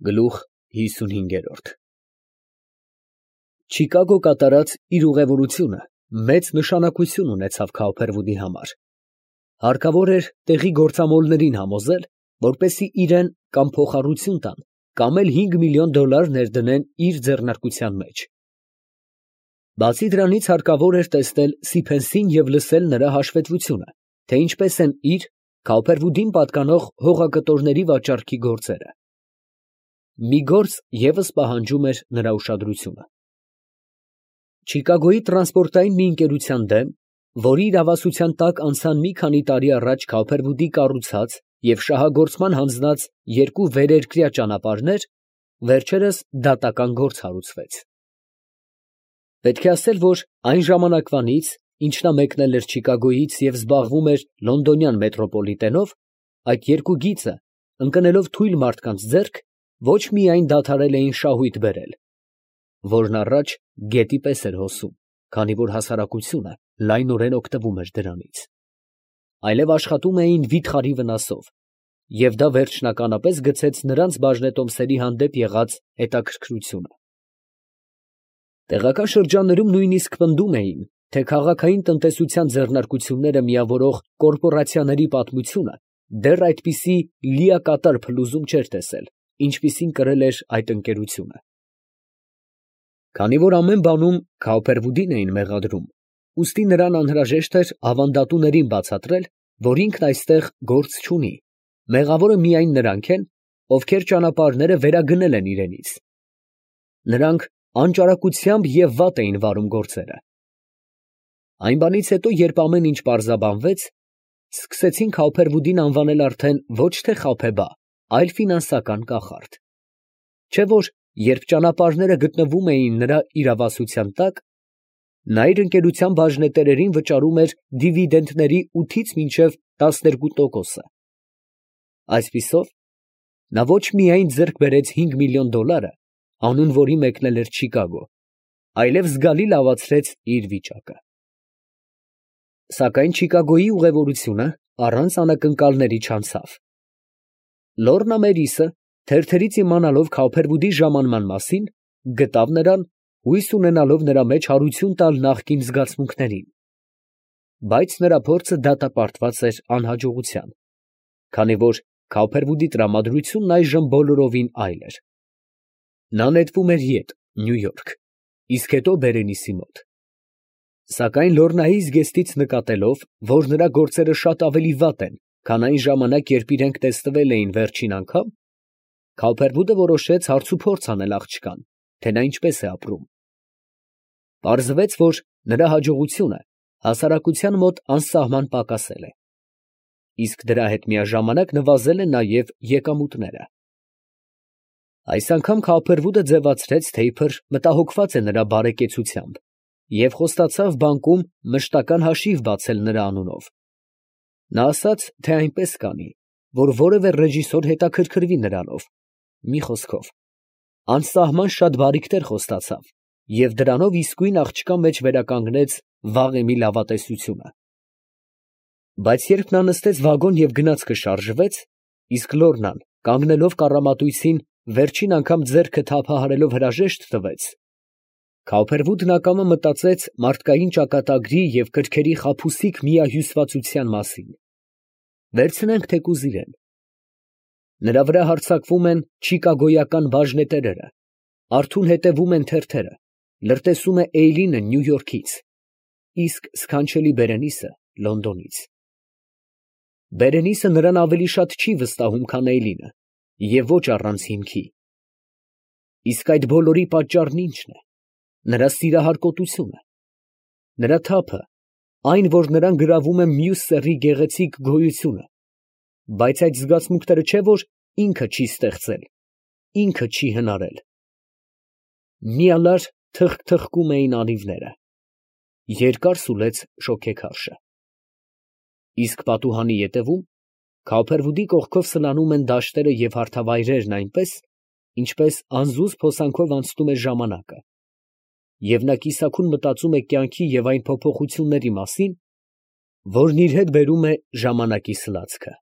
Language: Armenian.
Գլուխ 55 Չիկագո կատարած իր ուղևորությունը մեծ նշանակություն ունեցավ Քաուփերվուդի համար. հարկավոր էր տեղի գործամոլներին համոզել, որպեսզի իրեն կամ փոխառություն տան, կամ էլ $5 միլիոն ներդնեն իր ձեռնարկության մեջ։ Բացի դրանից հարկավոր էր տեսնել Սիփենսին և լսել նրա հաշվետվությունը, թե ինչպես են իր Քաուփերվուդին պատկանող հողակտորների վաճառքի գործերը։ Մի գործ ևս պահանջում էր նրա ուշադրությունը։ Չիկագոյի տրանսպորտային մի ընկերության դեմ, որի իրավասության տակ անցան մի քանի տարի առաջ Քաուփերվուդի կառուցած և շահագործման հանձնած երկու վերերկրյա ճանապարհներ, վերջերս դատական գործ հարուցվեց։ Պետք է ասել, որ այն ժամանակվանից, ինչ նա մեկնել էր Չիկագոյից և զբաղվում էր լոնդոնյան մետրոպոլիտենով, այդ երկու գիծը, ընկնելով թույլ մարդկանց ձեռք, ոչ միայն դադարել էին շահույթ բերել, որն առաջ գետի պես էր հոսում, քանի որ հասարակությունը լայնորեն օգտվում էր դրանից, այլև աշխատում էին վիթխարի վնասով, և դա վերջնականապես գցեց նրանց բաժնետոմսերի հանդեպ եղած հետաքրքրությունը։ Տեղական շրջաններում նույնիսկ պնդում էին, թե քաղաքային տնտեսության ձեռնարկությունները միավորող կորպորացիաների պատմությունը դեռ այդպիսի լիակատար փլուզում չէր տեսել, ինչպիսին կրել էր այդ ընկերությունը։ Քանի որ ամեն բանում Քաուփերվուդին էին մեղադրում, ուստի նրան անհրաժեշտ էր ավանդատուներին բացատրել, որ ինքն այստեղ գործ չունի, մեղավորը միայն նրանք են, ովքեր ճանապարհները վերագնել են իրենից։ Նրանք անճարակությամբ և վատ էին վարում գործերը։ Այն բանից հետո, երբ ամեն ինչ պարզաբանվեց, սկսեցին Քաուփերվուդին անվանել արդեն ոչ թե խաբեբա, այլ ֆինանսական կախարդ։ Չէ որ, երբ ճանապարհները գտնվում էին նրա իրավասության տակ, նա իր ընկերության բաժնետերերին վճարում էր դիվիդենդների 8-ից մինչև 12%։ Այսպիսով, նա ոչ միայն ձեռք բերեց $5 միլիոն, անուն որի մեկնել էր Չիկագո, այլև զգալի լավացրեց իր վիճակը։ Սակայն Չիկագոյի ուղևորությունը առանց անակնկալների չանցավ։ Լոռնա Մերիսը, թերթերից իմանալով Քաուփերվուդի ժամանման մասին, գտավ նրան, հույս ունենալով նրա մեջ հարություն տալ նախկին զգացմունքներին, բայց նրա փորձը դատապարտված էր անհաջողության, քանի որ Քաուփերվուդի տրամադրությունն այժմ բոլորովին այլ էր։ Նա նետվում էր ետ, Նյու Յորք, իսկ հետո Բերենիսի մոտ։ Սակայն Լոռնայի զգեստից նկատելով, որ նրա գործերը շատ ավելի վատ են, քան այն ժամանակ, երբ իրենք տեսնվել էին վերջին անգամ, Քաուփերվուդը որոշեց հարցուփորձ անել աղջկան, թե նա ինչպես է ապրում։ Պարզվեց, որ նրա հաջողությունը հասարակության մոտ անսահման պակասել է, իսկ դրա հետ միաժամանակ նվազել են նաև եկամուտները։ Այս անգամ Քաուփերվուդը ձևացրեց, թե իբր մտահոգված է նրա բարեկեցությամբ և խոստացավ բանկում մշտական հաշիվ բացել նրա անունով։ Նա ասաց, թե այնպես կանի, որ որևէ ռեժիսոր հետաքրքրվի նրանով, մի խոսքով, անսահման շատ բարիքներ խոստացավ և դրանով իսկույն աղջկա մեջ վերականգնեց վաղեմի լավատեսությունը։ Բայց երբ նա նստեց վագոն և գնացքը շարժվեց, իսկ Լոռնան, կանգնելով կառամատույցին, վերջին անգամ ձեռքը թափահարելով հրաժեշտ տվեց, Քաուփերվուդն ակամա մտածեց մարդկային ճակատագրի և կրքերի խաբուսիկ միահյուսվածության մասին։ Վերցնենք թեկուզ իրեն. նրա վրա հարձակվում են չիկագոյական բաժնետերերը, արթուն հետևում են թերթերը, լրտեսում է Էյլինը Նյու Յորքից, իսկ սքանչելի Բերենիսը Լոնդոնից։ Բերենիսը նրան ավելի շատ չի վստահում, քան Էյլինը, և ոչ առանց հիմքի։ Իսկ այդ բոլորի պատճառն ի՞նչն է։ Նրա սիրահարկոտությունը, նրա թափը, այն, որ նրան գրավում է մյուս սեռի գեղեցիկ գոյությունը, բայց այդ զգացմունքները չէ՞ որ ինքը չի ստեղծել, ինքը չի հնարել։ Մի ալար թխկթխկում էին անիվները, երկար սուլեց շոգեքարշը։ Իսկ պատուհանի ետևում, Քաուփերվուդի կողքով սլանում են դաշտերը և հարթավայրերն այնպես, ինչպես անզուզ փոսանքով անցնում է ժամանակը, և նա կիսաքուն մտածում է կյանքի և այն փոփոխությունների մասին, որն իր հետ բերում է ժամանակի սլացքը։